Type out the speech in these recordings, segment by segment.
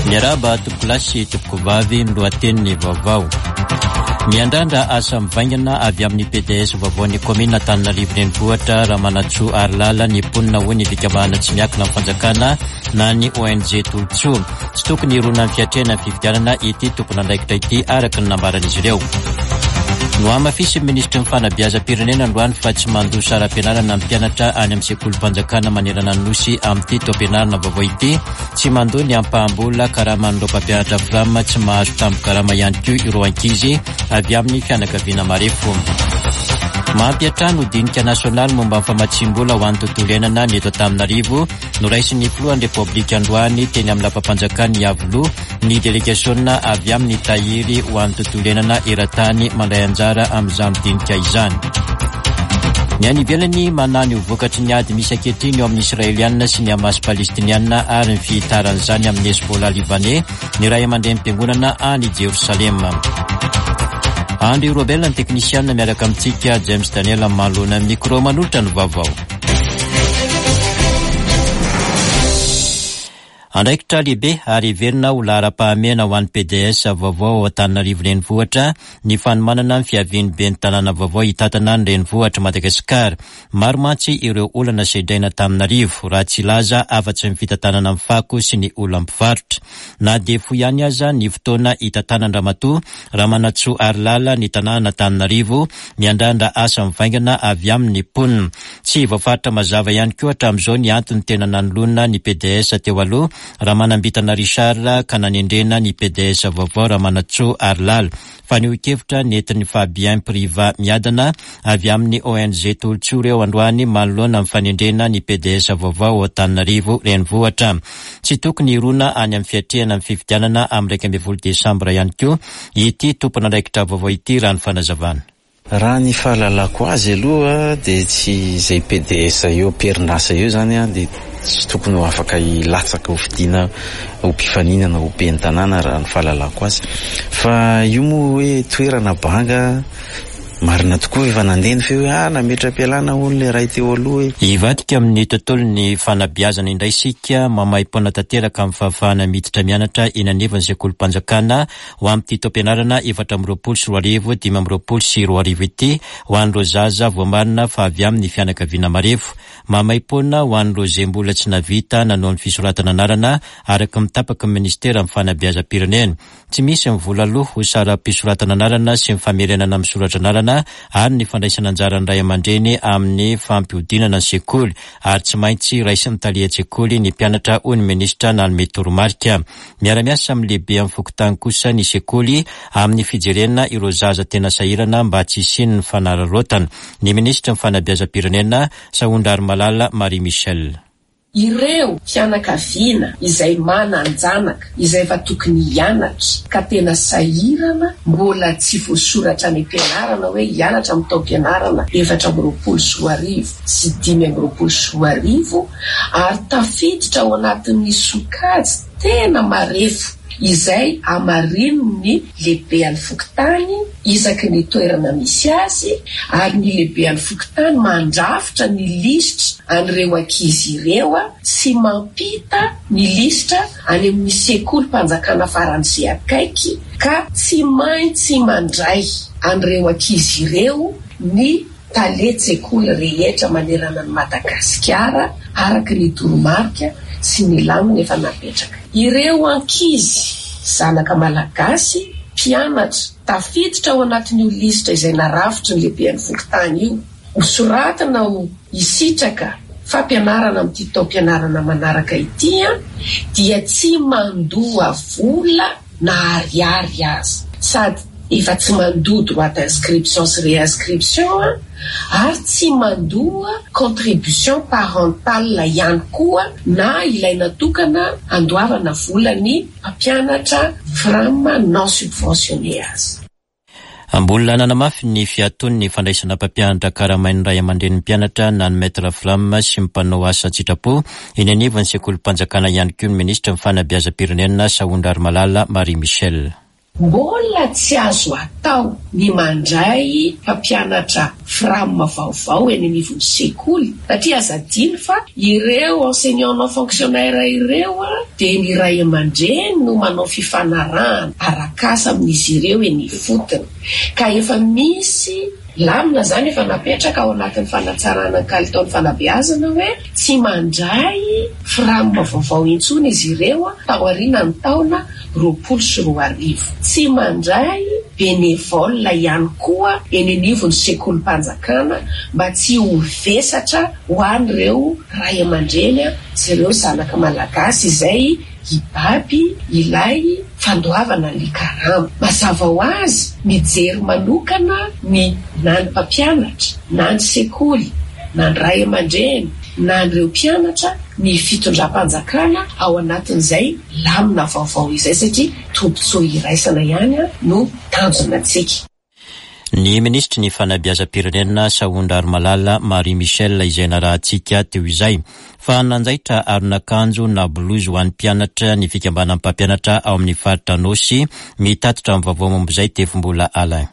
Miarahaba tompokolahy sy tompokovavy ny lohatenin'ny vaovao. Miandrandra asa mivaingana avy amin'ny PDS vaovaon'ny kaominina Antananarivo Renivohitra Ramanantsoa Harilala ny mponina hoy ny fikambanana tsy miankina amin'ny fanjakana na ny ONG Tolotsoa. Tsy tokony hirona amin'ny fiatrehana ny fifidianana ity tompon'andraikitra ity araka ny nambaran'izy ireo. Nohamafisin'ny minisitry ny fanabeazam-pirenena androany fa tsy mandoa saram-pianarana ny mpianatra any amin'ny sekolim-panjakana manerana ny Nosy amin'ity taom-pianarana vaovao ity. Tsy mandoa ny ampaham-bola karaman'ireo mpampianatra Fram tsy mahazo tambin-karama ihany koa ireo ankizy avy amin'ny fianakaviana marefo. Mampiantrano dinika nasionaly momba ny famatsiam-bola ho an'ny tontolo iainana ny eto Antananarivo. Noraisin'ny filohan'ny Repoblika androany teny amin'ny lapam-panjakan'i Iavoloha ny delegasiona avy amin'ny tahiry ho an'ny tontolo iainana eran-tany mandray anjara amin'izany dinika izany. Ny any ivelany manahy ny ho vokatry ny ady misy ankehitriny eo amin'ny Israeliana sy ny Hamas Palestiniana ary ny fihitaran'izany amin'ny Hezbollah Libaney ny ray aman-drenim-piangonana any Jerosalema. Andry Robel ny teknisiana miaraka amintsika James Daniel manoloana ny micro manolotra ny vaovao. Andraikitra lehibe ary heverina ho laharam-pahamehana ho an'ny pds vaovao ao Antananarivo Renivohitra ny fanomanana ny fiavian'ny ben'ny tanàna vaovao hitantana ny renivohitr'i Madagasikara. Maro mantsy ireo olana sedraina Antananarivo, raha tsy hilaza afa-tsy ny fitantanana ny fako sy ny olam-pivarotra. Na dia fohy ihany aza ny fotoana hitantanan-dRamatoa Ramanantsoa Harilala ny tanànan'Antananarivo, miandrandra asa mivaingana avy amin'ny mponina. Tsy voafaritra mazava ihany koa hatramin'izao ny antony tena nanoloana ny pds teo aloha, Ramanambintana Richard, ka nanendrena ny pds vaovao Ramanantsoa Harilala. Fanehoan-kevitra nentin'i Fabien Privat Miadana avy amin'ny ONG Tolotsoa ireo androany manoloana ny fanendrena ny pds vaovao ao Antananarivo Renivohitra. Tsy tokony hirona any amin'ny fiatrehana ny fifidianana amin'ny 11 desambra ihany koa ity tompon'andraikitra vaovao ity raha ny fanazavana. Raha ny fahalalako azy aloha dia tsy izay pds eo am-perinasa eo izany dia tsy tokony ho afaka hilatsaka ho fidiana ho mpifaninana ho ben'ny tanàna raha ny fahalalako azy. Fa io moa hoe toerana banga, marina tokoa efa nandeha ny feo hoe ah nametra-pialana hono ilay ray teo aloha e. Hivadika amin'ny tontolon'ny fanabeazana indray isika, maimaimpoana tanteraka amin'ny fahafahana miditra mianatra eny anivon'ny sekolim-panjakana ho amin'ity taom-pianarana 2024 2025 ity ho an'ireo zaza voamarina fa avy amin'ny fianakaviana marefo. Maimaimpoana ho an'ireo izay mbola tsy nahavita nanao ny fisoratana anarana araka ny tapaky ny minisiteran'ny fanabeazam-pirenena. Tsy misy ny vola aloa ho saram-pisoratana anarana sy ny famerenana misoratra anarana ary ny fandraisana anjaran'ny ray aman-dreny amin'ny fampihodinana ny sekoly ary tsy maintsy raisin'ny tale-tsekoly ny mpianatra hoy ny minisitra nanome toromarika. Miara-miasa amin'ny lehibean'ny fokontany kosa ny sekoly amin'ny fijerena ireo zaza tena sahirana mba tsy hisian'ny fanararaotana. Ny minisitry ny fanabeazam-pirenena, Sahondrarimalala Marie Michelle. Ireo fianakaviana izay manan-janaka izay efa tokony hianatra ka tena sahirana mbola tsy voasoratra any am-pianarana hoe hianatra amin'ny taom-pianarana 2024 sy 2025 ary tafiditra ao anatin'ny sokajy tena marefo izay hamarinin'ny lehibean'ny fokontany isaky ny toerana misy azy ary ny lehibean'ny fokontany mandrafitra ny lisitra an'ireo ankizy ireo sy mampita ny lisitra any amin'ny sekolim-panjakana faran'izay akaiky ka tsy maintsy mandray an'ireo ankizy ireo ny talen-tsekoly rehetra manerana an'i Madagasikara araka ny toromarika sy ny lamina efa napetraka. Ireo ankizy zanaka Malagasy mpianatra tafiditra ao anatin'io lisitra izay narafitry ny lehiben'ny fokontany io, hosoratana ho hisitraka fampianarana amin'ity taom-pianarana manaraka ity dia tsy mandoa vola na ariary aza, sady efa tsy mandoa droit d'inscription sy réinscription ary tsy mandoa contribution parentale ihany koa na ilay natokana handoavana vola ny mpampianatra fram non subventionné aza. Mbola nanamafy ny fiatoan'ny fandraisana mpampianatra karamain'ny ray aman-drenin'ny mpianatra na ny Maître Flam sy ny mpanao asa an-tsitrapo eny anivon'ny sekolim-panjakana ihany koa ny minisitry ny Fanabeazam-pirenena Sahondrarimalala Marie Michelle. Mbola tsy azo atao ny mandray mpampianatra Fram vaovao eny anivon'ny sekoly satria aza adino fa ireo enseignants non fonctionnaires ireo dia ny ray aman-dreny no manao fifanarahana arak'asa amin'izy ireo eny ifotony ka efa misy lamina izany efa napetraka ao anatin'ny fanatsarana ny kalitaon'ny fanabeazana hoe tsy mandray Fram vaovao intsony izy ireo taorian'ny taona 2020. Tsy mandray bénévole ihany koa eny anivon'ny sekolim-panjakana mba tsy ho vesatra ho an'ireo ray aman-dreny sy ireo zanaka malagasy izay hibaby ilay fandoavana ny karama. Mazava ho azy, mijery manokana ny na ny mpampianatra, na ny sekoly, na ny ray aman-dreny, na an'ireo mpianatra ny fitondram-panjakana ao anatin'izay lamina vaovao izay satria tombontsoa iraisana ihany no tanjona antsika. Ny minisitry ny fanabeazam-pirenena Sahondrarimalala Marie Michelle izay narahantsika teo izay fa nanjaitra aron'akanjo na bolozy ho an'ny mpianatra ny fikambanan'ny mpampianatra ao amin'ny faritra Anôsy mitatitra ny vaovao momba izay Tefimbola Alain.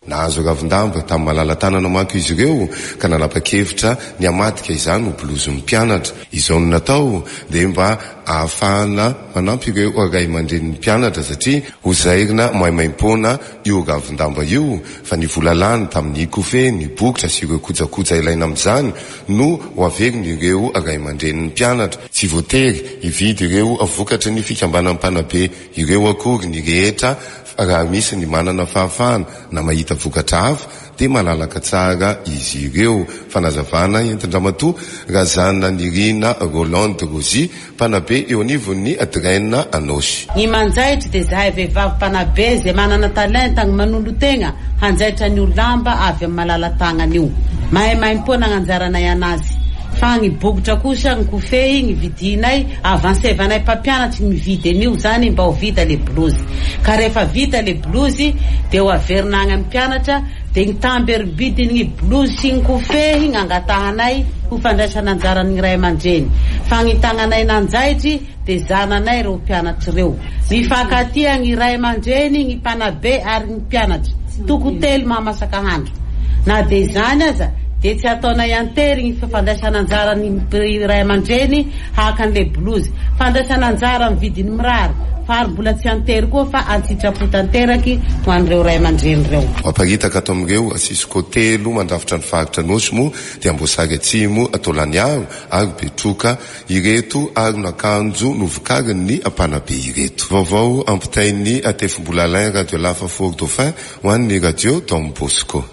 Nahazo ravin-damba tamin'ny malala-tanana manko izy ireo ka nanapa-kevitra ny hamadika izany ho bilozon'ny mpianatra. Izao no natao dia mba ahafahana manampy ireo ray aman-drenin'ny mpianatra satria hozairina maimaimpoana io ravin-damba io fa ny vola lany tamin'ny kofehy, ny bokotra sy ireo kojakoja ilaina amin'izany no ho averin'ireo ray aman-drenin'ny mpianatra. Tsy voatery hividy ireo vokatry ny fikambanan'ny mpanabe ireo akory ny rehetra Fa raha misy ny manana fahafahana na mahita vokatra hafa dia malalaka tsara izy ireo. Fanazavana entin-dRamatoa Razananirina Rolande Rosie, mpanabe eo anivon'ny Drain Anôsy. Ny manjaitry dia zahay vehivavy mpanabe izay manana talenta ny manolo-tegna hanjaitra an'io lamba avy amin'ny malala-tagnana io. Maimaimpoana agnanjaranay anazy. Fa ny bokotra kosa, ny kofehy, ny vidinay, Avancevanay mpampianatry mividy an'io zany mba ho vita le blouse. Ka rehefa vita le blouse de ho averina agny amin'ny mpianatra de ny tamberim-bidin'ny blouse sy ny kofehy ny angatahanay ho fandraisana anjaran'ny ray aman-dreny. Fa ny tagnanay nanjaitry de zananay reo mpianatry reo. Mifankatia ny ray aman-dreny, ny mpanabe ary ny mpianatra. Toko telo mahamasaka handro. Na dia izany aza dia tsy ataonay an-tery ny fifandraisana anjaran'ny ray aman-dreny haka an'ilay blouse. Fandraisana anjara amin'ny vidiny mirary fa ary mbola tsy an-tery koa fa an-tsitrapo tanteraky ho an'ireo ray aman-dreny ireo. Maparitaka ato amin'ireo Cisco telo mandrafitra ny faritra Anôsy moa dia Amboasary Atsimo, Taolagnaro ary Betroka ireto aron'akanjo novokarin'ny mpanabe ireto. Vaovao ampitain'ny Tefimbola Alain Radiolafa Fort Dauphin ho an'ny Radio Don Bosco.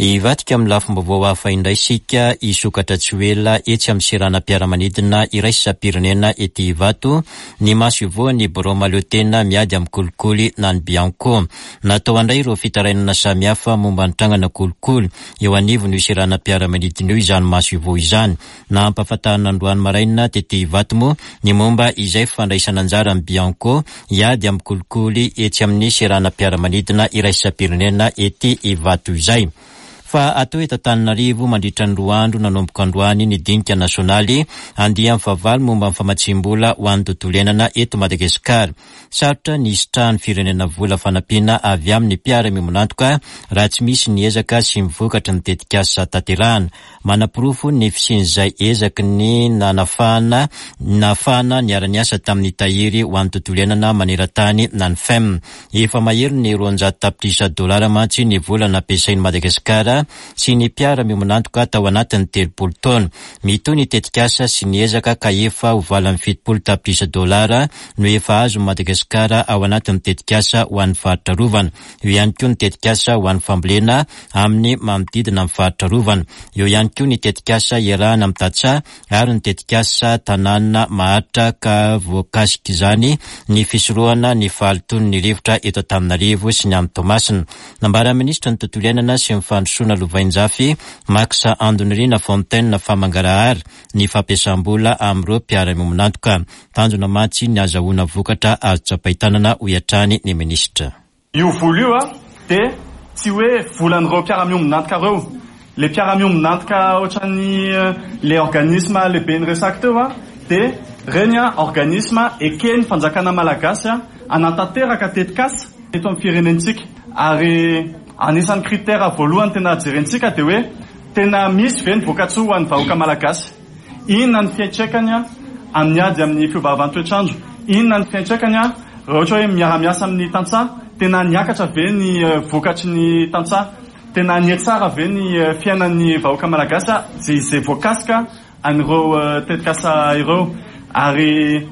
Hivadika amin'ny lafim-baovao hafa indray isika, hisokatra tsy ho ela etsy amin'ny seranam-piaramanidina iraisam-pirenena ety Ivato ny maso ivohon'ny birao mahaleotena miady amin'ny kolikoly na ny Bianco. Natao handray ireo fitarainana samihafa momba ny trangana kolikoly eo anivon'io seranam-piaramanidina io izany maso ivoho izany. Nampahafantarina androany maraina tety Ivato moa ny momba izay fandraisana anjaran'ny Bianco hiady amin'ny kolikoly etsy amin'ny seranam-piaramanidina iraisam-pirenena ety Ivato izay. Fa atao eto Antananarivo mandritra ny roa andro nanomboka androany ny dinika nasionaly andiany fahavalo momba ny famatsiam-bola ho an'ny tontolo iainana eto Madagasikara. Sarotra ny hisitrahan'ny firenena vola fanampiana avy amin'ny mpiara-miombon'antoka raha tsy misy ny ezaka sy ny vokatry ny tetikasa tanterahana. Manaporofo ny fisian'izay ezaky ny nanafahana nahafahana niara-niasa tamin'ny Tahiry ho an'ny Tontolo Iainana Maneran-tany na ny FEM. Efa maherin'ny 200 tapitrisa dolara mantsy ny vola nampiasain'i Madagasikara sy ny mpiara-miombon'antoka tao anatin'ny 30 taona. Mitohy ny tetikasa sy ny ezaka ka efa ho 78 tapitrisa dolara no efa azon'i Madagasikara ao anatin'ny tetikasa ho an'ny faritra arovana. Eo ihany koa ny tetikasa ho an'ny fambolena amin'ny manodidina ny faritra arovana. Eo ihany koa ny tetikasa iarahana amin'ny tantsaha ary ny tetikasa tanàna maharitra ka voakasik'izany ny fisorohana ny fahalotoan'ny rivotra eto Antananarivo sy ny any Toamasina. Nambaran'ny minisitry ny Tontolo iainana sy ny fandrosoana lovainjafy, Max Andonirina Fontaine fa mangarahara ny fampiasam-bola amin'ireo mpiara-miombon'antoka. Tanjona mantsy ny hazahoana vokatra azo tsapain-tanana, hoy hatrany ny minisitra. Io vola io dia tsy hoe volan'ireo mpiara-miombon'antoka ireo. Ilay mpiara-miombon'antoka ohatran'ny ilay organisme lehibe niresako teo dia. Ireny organisme eken'ny fanjakana malagasy hanatanteraka tetikasa eto amin'ny firenentsika. Ary anisan'ny critère voalohany tena jerentsika dia hoe tena misy ve ny vokatsoa ho an'ny vahoaka malagasy? Inona ny fiantraikany amin'ny ady amin'ny fiovaovan'ny toetr'andro? Inona ny fiantraikany raha ohatra hoe miara-miasa amin'ny tantsaha? Tena niakatra ve ny vokatry ny tantsaha? Tena nihatsara ve ny fiainan'ny vahoaka malagasy izay voakasika an'ireo tetikasa ireo? Ary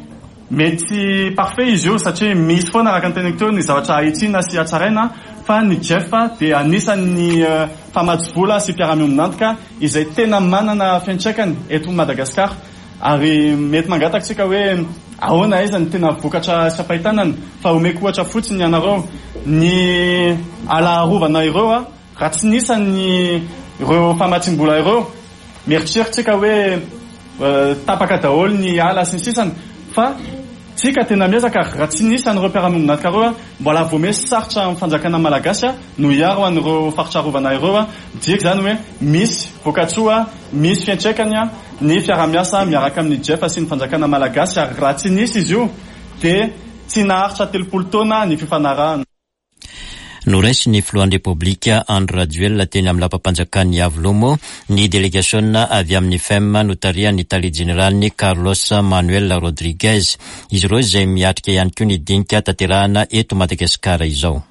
mety tsy parfait izy io satria misy foana araka ny teneniko teo ny zavatra ahitsiana sy hatsaraina fa ny GEF dia anisan'ny mpamatsy vola sy mpiara-miombon'antoka izay tena manana fiantraikany eto Madagasikara ary mety mangataka isika hoe ahoana aiza ny tena vokatra sy ampahitanana fa omeko ohatra fotsiny ianareo ny ala arovana ireo raha tsy nisy ny ireo famatsiam-bola ireo mieritreritra tsika hoe tapaka daholo ny ala sy ny sisany fa tsika tena miezaka ary raha tsy nisy an'ireo mpiara-miombon'antoka ireo mbola vao misy sarotra amin'ny fanjakana malagasy no hiaro an'ireo faritra arovana ireo. Midika izany hoe misy vokatsoa, misy fiantraikany ny fiaraha-miasa miaraka amin'ny GEF sy ny fanjakana malagasy ary raha tsy nisy izy io dia tsy naharitra 30 taona ny fifanarahana. Noraisin'ny filohan'ny Repoblika Andry Rajoelina teny amin'ny lapam-panjakan'i Iavoloha moa ny delegasiona avy amin'ny FEM notarihan'ny tale jeneraliny Carlos Manuel Rodriguez. Izy ireo izay miatrika ihany koa ny dinika tanterahana eto Madagasikara izao.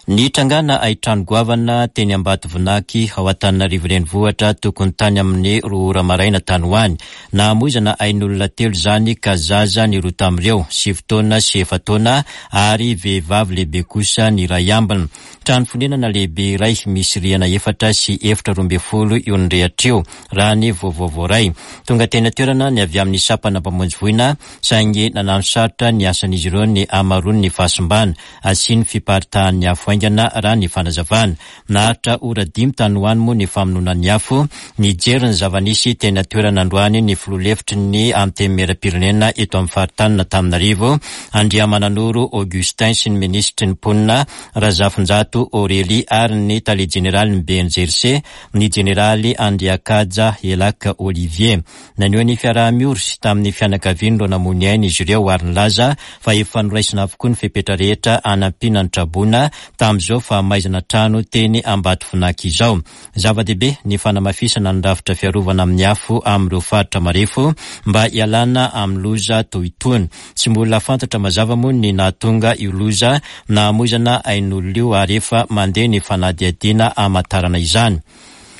Nitrangana haintrano goavana teny Ambatovinaky ao Antananarivo Renivohitra tokony tany amin'ny roa ora maraina tany ho any. Nahamoizana ain'olona telo izany ka zaza ny roa tamin'ireo, sivy taona sy efa-taona ary vehivavy lehibe kosa ny iray ambiny. Trano fonenana lehibe iray misy rihana efatra sy efitra 12 io nirehatra io, raha ny vaovao voaray. Tonga teny an-toerana ny avy amin'ny sampana mpamonjy voina saingy nanano sarotra ny asan'izy ireo ny hamaroan'ny fahasimbana sy ny fiparitahan'ny afo haingana raha ny fanazavana. Naharitra ora dimy tany ho any moa ny famonoana ny afo. Nijery ny zava-nisy teny an-toerana androany ny filoha lefitry ny Antenimierampirenena eto amin'ny faritanin'Antananarivo, Andriamananoro Augustin sy ny minisitry ny Mponina, Razafinjato Aurélie ary ny tale jeneralin'ny BNGRC, ny jeneraly Andriakaja Elack Olivier. Naneho ny fiaraha-miory tamin'ny fianakavian'ireo namoy ny ainy izy ireo ary nilaza fa efa noraisina avokoa ny fepetra rehetra hanampiana ny traboina tamin'izao fahamaizana trano teny Ambatovinaky izao. Zava-dehibe ny fanamafisana ny rafitra fiarovana amin'ny afo amin'ireo faritra marefo mba hialana amin'ny loza toy itony. Tsy mbola fantatra mazava moa ny nahatonga io loza nahamoizana ain'olona io ary efa mandeha ny fanadihadiana hamantarana izany.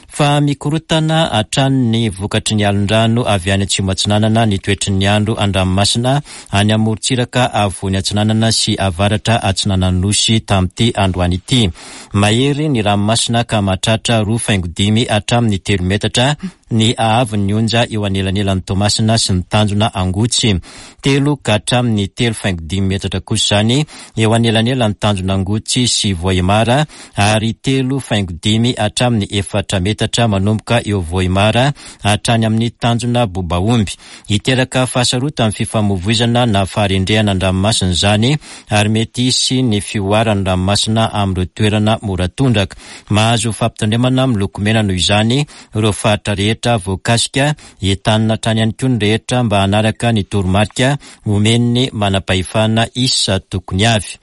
Fa mikorontana hatrany ny vokatry ny alon-drano avy any atsimo atsinanana ny toetry ny andro an-dranomasina any amorontsiraka afovoany atsinanana sy avaratra atsinanan'ny Nosy tamin'ity androany ity. Mahery ny ranomasina ka mahatratra roa faingo dimy hatramin'ny telo metatra ny haavon'ny onja eo anelanelan'i Toamasina sy ny tanjona Angotsy. Telo ka hatramin'ny telo faingo dimy metatra kosa izany eo anelanelan'ny tanjona Angotsy sy Vohemar ary telo faingo dimy hatramin'ny efatra metatra manomboka eo Vohemar hatrany amin'ny tanjona Bobaomby. Hiteraka fahasarotan'ny fifamoivoizana na faharendrehana an-dranomasina izany ary mety hisy ny fihoaran'ny ranomasina amin'ireo toerana mora tondraka. Mahazo fampitandremana miloko mena noho izany ireo faritra rehetra voakasika, entanina hatrany ihany koa ny rehetra mba hanaraka ny toromarika omen'ny manam-pahefana isan-tokony avy.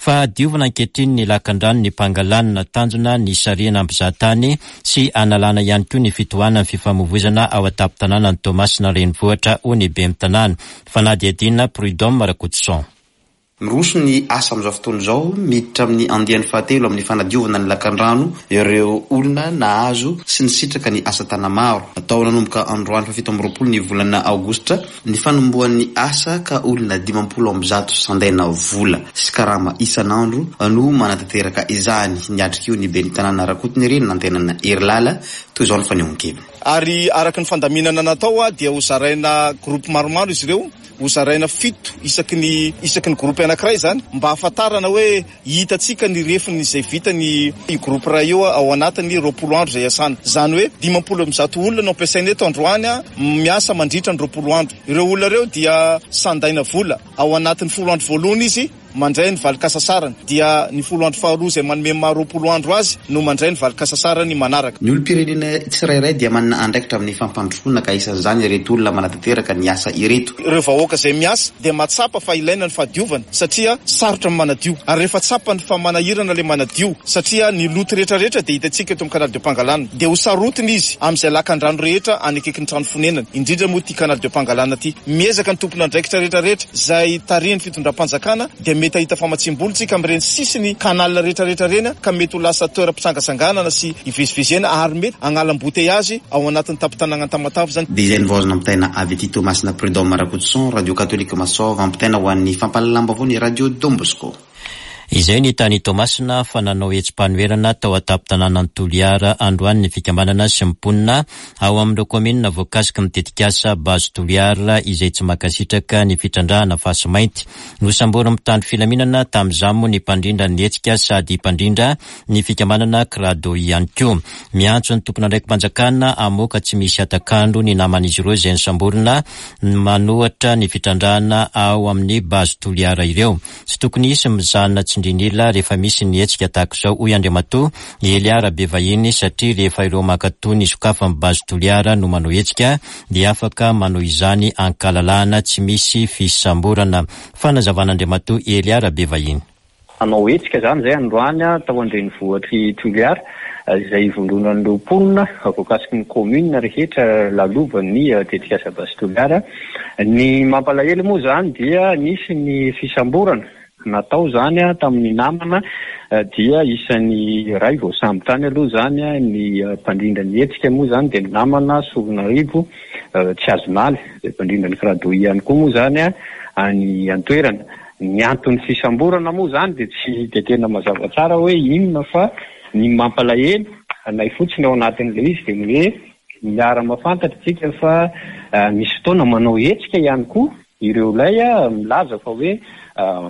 Fahadiovana ankehitriny ny lakandrano ny Pangalana, tanjona ny hisarihana mpizahatany sy hanalana ihany koa ny fitohanan'ny fifamoivoizana ao an-tampon-tanànan'i Toamasina renivohitra, hoy ny ben'ny tanàna. Fanadihadiana Prud'homme Rakotoson. Miroso ny asa amin'izao fotoana izao, miditra amin'ny andiany fahatelo amin'ny fanadiovana ny lakandrano ireo olona nahazo sy nisitraka ny asa tanamaro. Natao nanomboka androany faha 27 ny volana aogositra ny fanombohan'ny asa ka olona 150 sandaina vola sy karama isan'andro no manatanteraka izany. Niatrika io ny ben'ny tanàna Rakotonirina Nantenana Herilala, toy izao ny fanehoan-keviny. Ary araka ny fandaminana natao dia ho zaraina groupe maromaro izy ireo, ho zaraina fito isaky ny isaky ny groupe anankiray izany mba hahafantarana hoe Hitantsika ny refiny izay vitany io groupe iray io ao anatin'ny 20 andro izay iasana. Izany hoe 150 olona no ampiasaina eto androany miasa mandritra ny 20 andro. Ireo olona ireo dia sandaina vola ao anatin'ny folo andro voalohany izy. mandray ny valin-kasasarany, dia ny folo andro faharoa izay manome ny maha 20 andro azy no mandray ny valin-kasasarany manaraka. Ny olom-pirenena tsirairay dia manana andraikitra amin'ny fampandrosoana ka isan'izany ireto olona manatanteraka ny asa ireto. Ireo vahoaka izay miasa dia mahatsapa fa ilaina ny fahadiovana satria sarotra ny manadio ary rehefa tsapany fa manahirana ilay manadio satria ny loto rehetra rehetra dia hitantsika eto amin'ny canal de Pangalana dia ho sarotiny izy amin'izay lakan-drano rehetra any akaikin'ny trano fonenany indrindra moa ity canal de Pangalana ity. Miezaka ny tompon'andraikitra rehetra rehetra izay tarihin'ny fitondram-panjakana dia mety hahita famatsiam-bola tsika amin'ireny sisiny canal rehetra rehetra ireny ka mety ho lasa toeram-pitsangatsanganana sy hivezivezena ary mety hagnala embouteillage ao anatin'ny tampon-tanàgnan'i Tamatave izany. Dia izay no vaovao nampitaina avy aty Toamasina Prud'homme Rakotoson, Radio Katolika Masova, ampitaina ho an'ny fampahalalam-baovao ny Radio Don Bosco. Izay ny tany Toamasina fa nanao hetsi-panoherana tao an-tampon-tanànan'i Toliara androany ny fikambanana sy ny mponina ao amin'ireo kaominina voakasiky ny tetikasa Base Toliara izay tsy mankasitraka ny fitrandrahana fasimainty. Nosamborin'ny mpitandro filaminana tamin'izany moa ny mpandrindra ny hetsika sady mpandrindra ny fikambanana Crado ihany koa. Miantso ny tompon'andraiki-panjakana hamoaka tsy misy hatak'andro ny naman'izy ireo izay nosamborina manohatra ny fitrandrahana ao amin'ny Base Toliara ireo. Tsy tokony hisy mizana tsindrin'ila rehefa misy ny hetsika tahaka izao, hoy Andriamatoa Elia Rabevahiny satria rehefa ireo mankatoa ny sokafan'ny Base Toliara no manao hetsika dia afaka manao izany an-kalalahana tsy misy fisamborana. Fanazavan'Andriamatoa Elia Rabevahiny. Hanao hetsika izany izay androany tao an-drenivohitr'i Toliara izay ivondronan'ireo mponina voakasiky ny kaominina rehetra lalovan'ny tetikasa Base Toliara. Ny mampalahelo moa izany dia nisy ny fisamborana natao izany tamin'ny namana dia isan'ny iray voasambotra any aloha izany ny mpandrindra ny hetsika moa izany dia ny namana Solonarivo Tsiazonaly izay mpandrindra ny Crado ihany koa moa izany any an-toerana. Ny anton'ny fisamborana moa izany dia tsy dia tena mazava tsara hoe inona fa ny mampalahelo anay fotsiny ao anatin'ilay izy dia ny hoe miara-mahafantatra isika fa misy fotoana manao hetsika ihany koa ireo ilay milaza fa hoe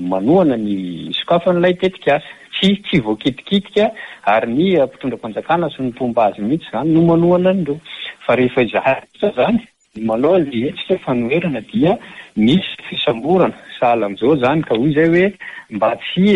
manohana ny hisokafan'ilay tetikasa. Tsy tsy voakitikitika ary ny mpitondra fanjakana sy ny mpomba azy mihitsy izany no manohana an'ireo. Fa rehefa izahay kosa izany Ny manao ny hetsika fanoherana dia misy fisamborana sahala amin'izao izany ka hoy izay hoe mba tsy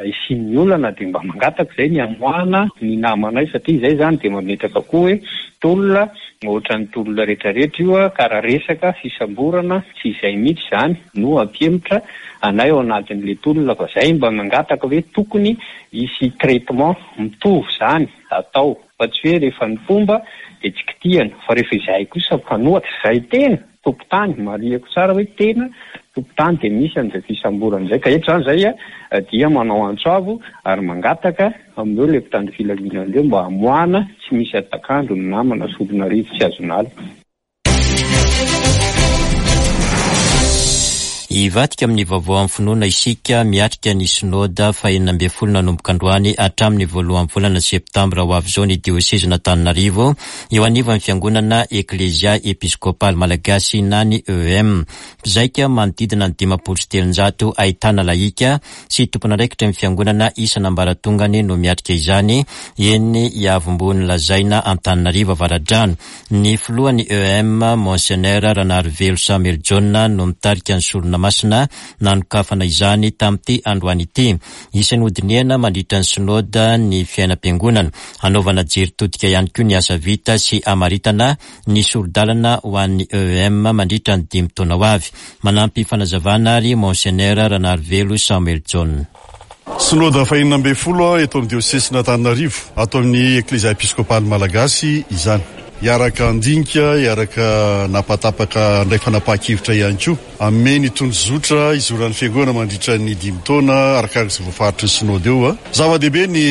hisian'ny olana dia mba mangataka izay ny hamoahana ny namanay satria izay izany dia mametraka koa hoe tolona ohatran'ny tolona rehetrarehetra io ka raha resaka fisamborana tsy izay mihitsy izany no hampihemotra anay ao anatin'ilay tolona fa izay mba mangataka hoe tokony hisy traitement mitovy izany atao. Fa tsy hoe rehefa ny mpomba dia tsy kitihana, fa rehefa izahay kosa mpanohatra, izay tena tompon-tany, marihako tsara hoe tena tompon-tany dia misy an'izay fisamborana izay. Ka eto izany izay dia manao antso avo ary mangataka amin'ireo ilay mpitandro filaminana ireo mba hamoahana tsy misy hatak'andro ny namana Solonarivo Tsiazonala. Hivadika amin'ny vaovao amin'ny finoana isika miatrika ny Synoda fahenina ambin'ny folo nanomboka androany hatramin'ny voalohan'ny volana septambra ho avy izao ny diosezin'Antananarivo eo anivon'ny fiangonana Eklesia Episkopaly Malagasy na ny EM. Mpizaika manodidina ny 350 ahitana lahika sy tompon'andraikitry ny fiangonana isan'ambaratongany no miatrika izany eny Iavombohiny Lazaina Antananarivo Avaradrano. Ny filohan'ny EM, Monseigneur Ranarivelo Samuel Jaona no mitarika ny sorona masina nanokafana izany tamin'ity androany ity. Isan'ny hodinihana mandritra ny Synoda ny fiainam-piangonana. Hanaovana jery todika ihany koa ny asa vita sy hamaritana ny sori-dalana ho an'ny EM mandritra ny dimy taona ho avy. Manampy fanazavana ary Monseigneur Ranarivelo Samuel Jaona. Synoda fahenina ambin'ny folo eto amin'ny diosesin'Antananarivo, ato amin'ny Eklezia Episkopaly Malagasy izany. Hiaraka handinika, hiaraka hanapatapaka, handray fanapahan-kevitra ihany koa. Hanome ny tondrozotra hizoran'ny Fiangonana mandritra ny dimy taona, arakaraka izay voafaritry ny Synoda eo. Zava-dehibe ny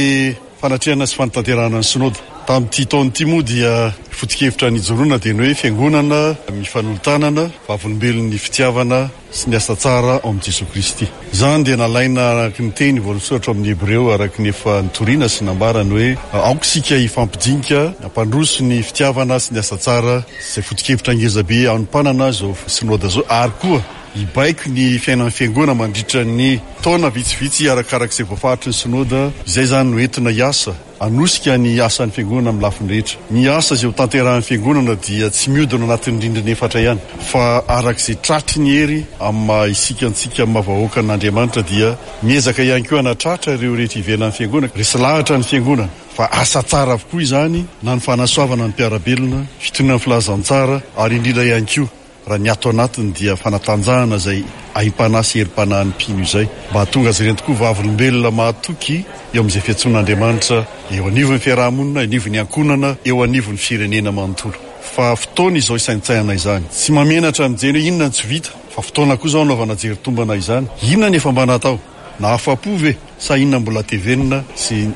fanatrehana sy fanatanterahana ny Synoda. Tamin'ity taona ity moa dia foto-kevitra nijoroana dia ny hoe Fiangonana mifanolo-tanana, vavolombelon'ny fitiavana. sy ny asa tsara ao amin'i Jesoa Kristy. Izany dia nalaina araka ny teny voasoratra ao amin'ny Hebreo araka ny efa nitoriana sy nambarany hoe, Aoka isika hifampidinika, hampandroso ny fitiavana sy ny asa tsara, izay foto-kevitra ngezabe hanompanana izao Synoda izao, ary koa. hibaiko ny fiainan'ny Fiangonana mandritra ny taona vitsivitsy arakaraka izay voafaritry ny Synoda. Izay izany no entina hiasa, hanosika ny asan'ny Fiangonana amin'ny lafiny rehetra. Ny asa izay ho tanterahin'ny Fiangonana dia tsy mihodina anatin'ny rindrina efatra ihany fa araka izay tratry ny hery amin'ny maha isika antsika amin'ny maha vahoakan'Andriamanitra dia miezaka ihany koa hanatratra ireo rehetra ivelan'ny Fiangonana. Resy lahatra ny Fiangonana fa asa tsara avokoa izany na ny fanasoavana ny mpiara-belona, fitoriana ny filazantsara ary indrindra ihany koa raha ny ato anatiny dia fanatanjahana izay aim-panahy sy herim-panahin'ny mpino izay mba hahatonga azy ireny tokoa vavolombelona mahatoky eo amin'izay fiantsoan'Andriamanitra eo anivon'ny fiaraha-monina, eo anivon'ny ankohonana, eo anivon'ny firenena manontolo. Fa fotoana izao hisaintsainana izany. Tsy mahamenatra mijery hoe inona no tsy vita fa fotoana koa izao hanaovana jery tombana izany. Inona ny efa mba natao? Nahafa-po ve sa inona mbola tevenina sy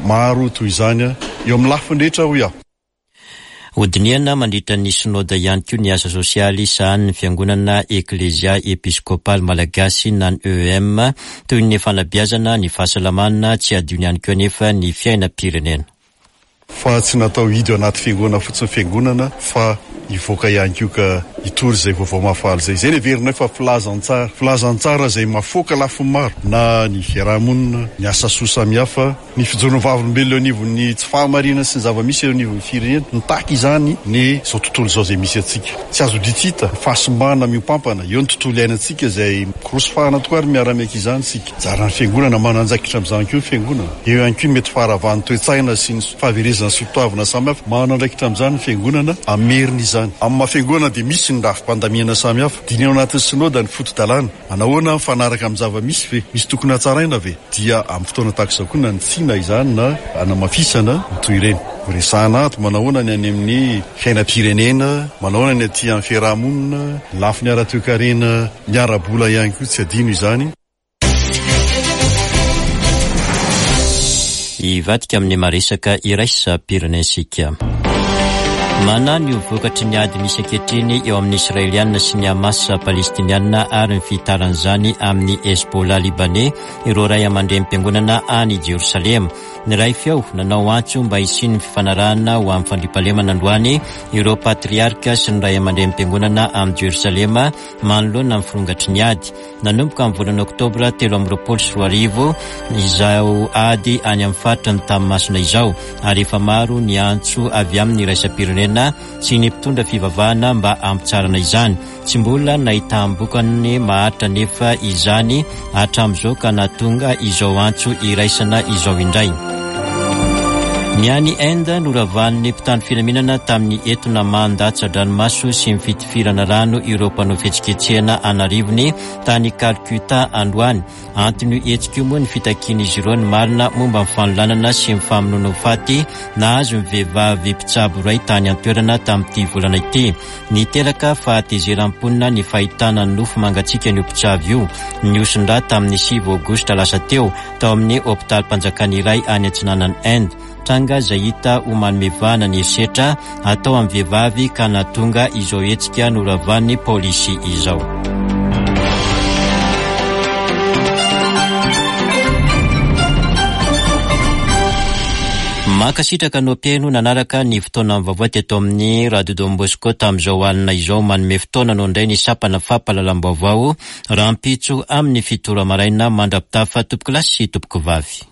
maro toy izany eo amin'ny lafiny rehetra hoy aho. Hodinihana mandritra ny Synoda ihany koa ny asa sosialy sahanin'ny Fiangonana Eklesia Episkopaly Malagasy na ny EEM, toy ny fanabeazana, ny fahasalamana, tsy hadino ihany koa anefa ny fiainam-pirenena. Fa tsy natao hidy ao anaty fiangonana fotsiny fiangonana fa hivoaka ihany koa ka hitory izay vaovao mahafaly izay. Izay no heverinay fa filazantsara. Filazantsara izay mahafoaka lafiny maro, na ny fiaraha-monina, ny asa soa samihafa, ny fijoroan'ny vavolombelona eo anivon'ny tsy fahamarinana sy ny zava-misy eo anivon'ny firenena. Mitaky izany ny izao tontolo izao izay misy antsika. Tsy azo odian-tsy hita ny fahasimbana mihompampana eo ny tontolo iainantsika izay mikorosy fahana tokoa ary miara-miaiky izany isika. Anjaran'ny Fiangonana manana andraikitra amin'izany koa ny Fiangonana. Eo ihany koa ny mety faharavan'ny toe-tsaina sy ny fahaverezan'ny soatoavina samihafa. Manana andraikitra amin'izany ny Fiangonana hamerina izany. Amin'ny maha Fiangonana dia misy ny rafi-pandaminana samihafa. Dinihina ao anatin'ny Synoda ny foto-dalàna. Manahoana, mifanaraka amin'ny zava-misy ve? Misy tokony hatsaraina ve? Dia amin'ny fotoana tahaka izao koa na nitsiana izany na hanamafisana ny toy ireny. Horesahana ato, manahoana ny any amin'ny fiainam-pirenena, manahoana ny aty amin'ny fiaraha-monina, lafiny ara-toekarena, ny ara-bola ihany koa tsy adino izany. Hivadika amin'ny maresaka iraisam-pirenentsika. Manahy ny ho vokatry ny ady misy ankehitriny eo amin'ny Israeliana sy ny Hamas Palestiniana ary ny fihitaran'izany amin'ny Hezbollah Libaney ireo ray aman-drenim-piangonana any Jerosalema. Niray feo nanao antso mba hisian'ny fifanarahana ho amin'ny fandriampahalemana androany ireo patriarka sy ny ray aman-drenim-piangonana any Jerosalema manoloana ny firongatry ny ady. Nanomboka amin'ny volana oktobra 2023 izao ady any amin'ny faritra ny Tany Masina izao ary efa maro ny antso avy amin'ny iraisam-pirenena sy ny mpitondra fivavahana mba hampitsarana izany. Tsy mbola nahitam-bokany maharitra anefa izany hatramin'izao ka nahatonga izao antso iraisana izao indray. Ny any Inde, noravan'ny mpitandro filaminana tamin'ny etona mandatsa-dranomaso sy ny fitifirana rano ireo mpanao fihetsiketsehana an'arivony tany Calcutta androany. Anton'io hetsika io moa ny fitakian'izy ireo ny marina momba ny fanolanana sy ny famonoana ho faty nahazo ny vehivavy mpitsabo iray tany an-toerana tamin'ity volana ity. Niteraka fahatezeran'ny mponina ny fahitana ny nofo mangatsiakan'io mpitsabo io nihoson-drà tamin'ny sivy aogositra lasa teo tao amin'ny hopitalim-panjakana iray any atsinanan'i Inde. Tranga izay hita ho manome vahana ny herisetra atao amin'ny vehivavy ka nahatonga izao hetsika noravan'ny polisy izao. Mankasitraka anao mpihaino nanaraka ny fotoanan'ny vaovao teto amin'ny Radio Don Bosco tamin'izao alina izao. Manome fotoana anao indray ny sampana fampahalalam-baovao rahampitso amin'ny fito ora maraina mandra-pitafa tompokolahy sy tompokovavy.